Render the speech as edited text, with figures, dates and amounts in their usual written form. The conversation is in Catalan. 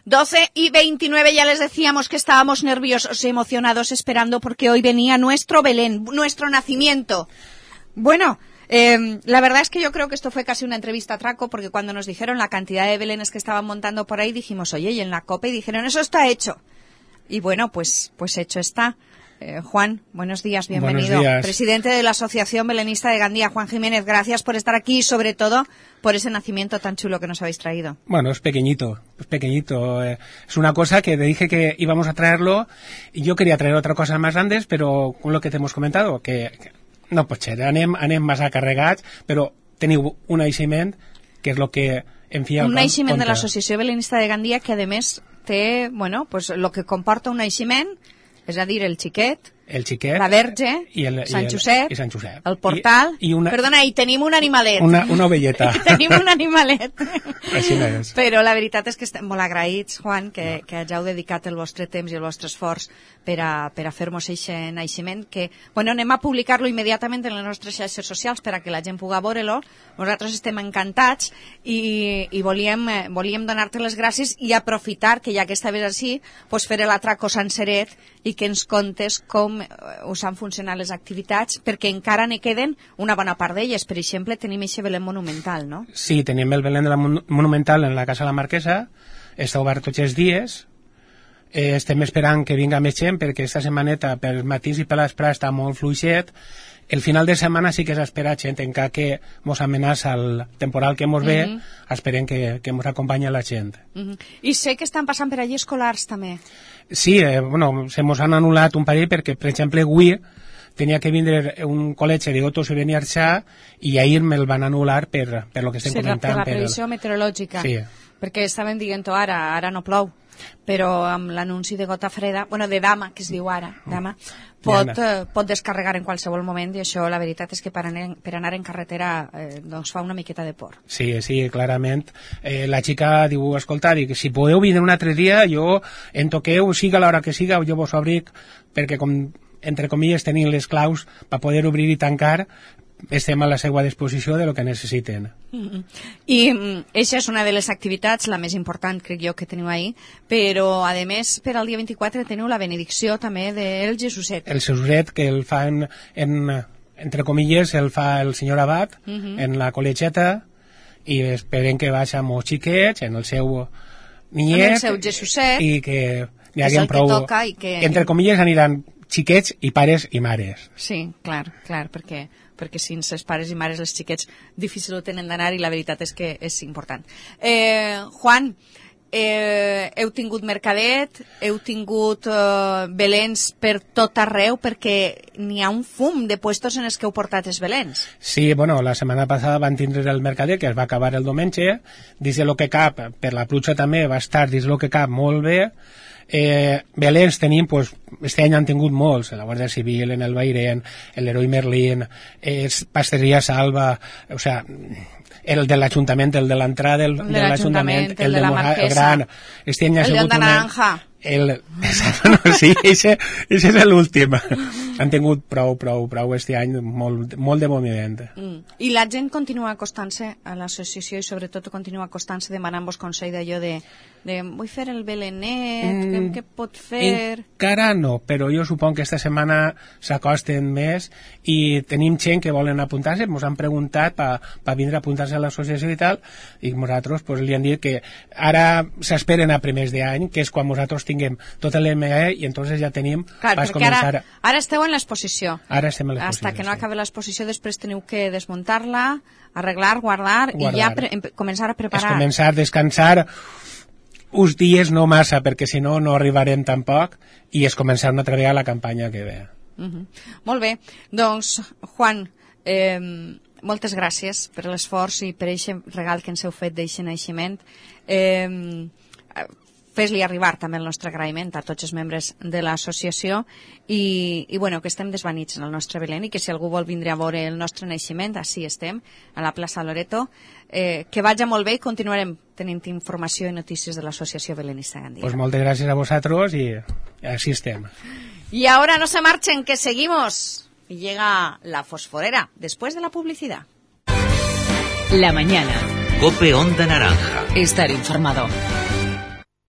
12:29, ya les decíamos que estábamos nerviosos y emocionados esperando porque hoy venía nuestro Belén, nuestro nacimiento. Bueno, la verdad es que yo creo que esto fue casi una entrevista atraco, porque cuando nos dijeron la cantidad de belenes que estaban montando por ahí, dijimos, oye, y en la COPE, y dijeron, eso está hecho. Y bueno, pues hecho está. Juan, buenos días, bienvenido. Buenos días. Presidente de la Asociación Belenista de Gandía, Juan Jiménez, gracias por estar aquí y sobre todo por ese nacimiento tan chulo que nos habéis traído. Bueno, es pequeñito. Es una cosa que te dije que íbamos a traerlo y yo quería traer otra cosa más grandes, pero con lo que te hemos comentado, que no pot ser, anem massa carregats, però teniu un naixement, que és el que en fi... Un naixement de l'Associació Belenista de Gandía que, a més, té, bueno, pues, lo que comporta un naixement, és a dir, el xiquet, la Verge, Sant Josep, el portal... Perdona, i tenim un animalet. Una ovelleta. Tenim un animalet. Així no és. Però la veritat és que estem molt agraïts, Juan, que hàgiu dedicat el vostre temps i el vostre esforç per a fer-nos aquest naixement, que, bueno, anem a publicar-lo immediatament en les nostres xarxes socials per a que la gent pugui veure-lo. Nosaltres estem encantats i volíem donar-te les gràcies i aprofitar que ja que estaves així, pues fer l'atraco senceret i que ens contes com us han funcionat les activitats, perquè encara ne queden una bona part d'elles. Per exemple, tenim aquest Belén monumental, no? Sí, tenim el Belén de la monumental en la Casa de la Marquesa, està obert tots els dies, estem esperant que vinga més gent, perquè esta setmaneta per matins i per l'esprà està molt fluixet. El final de setmana sí que s'espera gent, encara que mos amenaça el temporal que mos ve, esperem que mos acompanya la gent. I sé que estan passant per allí escolars també. Sí, bueno, se mos han anul·lat un parell perquè, per exemple, avui tenia que vindre un col·legi de Otto Seveni Arxà i ahir me'l van anul·lar per lo que estem comentant. Per la previsió meteorològica. Sí. Perquè estàvem dient-ho ara no plou, però amb l'anunci de gota freda, bueno, de dama, que es diu ara, dama, pot descarregar en qualsevol moment, i això la veritat és que per anar en carretera doncs fa una miqueta de por. Sí, clarament. La xica diu, escolta, si podeu vindre un altre dia, jo en toqueu, siga l'hora que siga, jo vos obric, perquè com, entre comilles, tenim les claus per poder obrir i tancar, estem a la seva disposició de lo que necessiten. I aquesta és una de les activitats, la més important, crec jo, que teniu ahir, però, a més, per al dia 24 teniu la benedicció també del Jesuset. El Jesuset, que el fa entre comilles, el fa el senyor Abat, en la col·legiata, i esperem que vagi amb els xiquets, en el seu niet, en el seu Jesuset, i que n'hi hagi prou... Entre comilles aniran xiquets i pares i mares. Sí, clar, perquè sense els pares i mares els xiquets difícil ho tenen d'anar i la veritat és que és important. Juan, heu tingut mercadet, heu tingut belens per tot arreu, perquè n'hi ha un fum de puestos en els que heu portat els belens. Sí, bueno, la setmana passada van tindre el mercadet, que es va acabar el diumenge, dins de lo que cap, per la pluja també va estar dins lo que cap molt bé. Belens tenim, pues, este any han tingut molts, la Guàrdia Civil, en el Bairén, l'Heroi Merlín, Pasteria Salva, o sea, el de l'Ajuntament, el de l'entrada, el de l'Ajuntament, el de la Marquesa, el de Naranja. Sí, ese és l'últim. Han tingut prou este any, molt de moviment. I la gent continua acostant-se a l'associació i sobretot continua acostant-se demanant-vos consell d'allò de vull fer el belenet, què pot fer? Encara no, però jo suponc que esta setmana s'acosten més i tenim gent que volen apuntar-se, ens han preguntat per vindre a apuntar-se a l'associació i tal, i nosaltres pues, li han dit que ara s'esperen a primers d'any, que és quan nosaltres tinguem tot l'ME i entonces ja tenim... Clar, perquè ara esteu en l'exposició. Ara estem en l'exposició. Hasta que no acabi l'exposició, després teniu que desmuntar-la, arreglar, guardar i ja començar a preparar. És començar a descansar uns dies, no massa, perquè si no, no arribarem tampoc, i és començar una altra vegada la campanya que ve. Molt bé. Doncs, Juan, moltes gràcies per l'esforç i per aquest regal que ens heu fet d'aquest naixement. Fes-li arribar també el nostre agraïment a tots els membres de l'associació i bueno, que estem desvanits en el nostre Belén i que si algú vol vindre a veure el nostre naixement, així estem, a la plaça Loreto, que vagi molt bé i continuarem tenint informació i notícies de l'associació Belenista Gandía. Pues moltes gràcies a vosaltres i així estem. Y ahora no se marchen, que seguimos. Y llega la fosforera, después de la publicidad. La mañana. COPE Onda Naranja. Estar informado.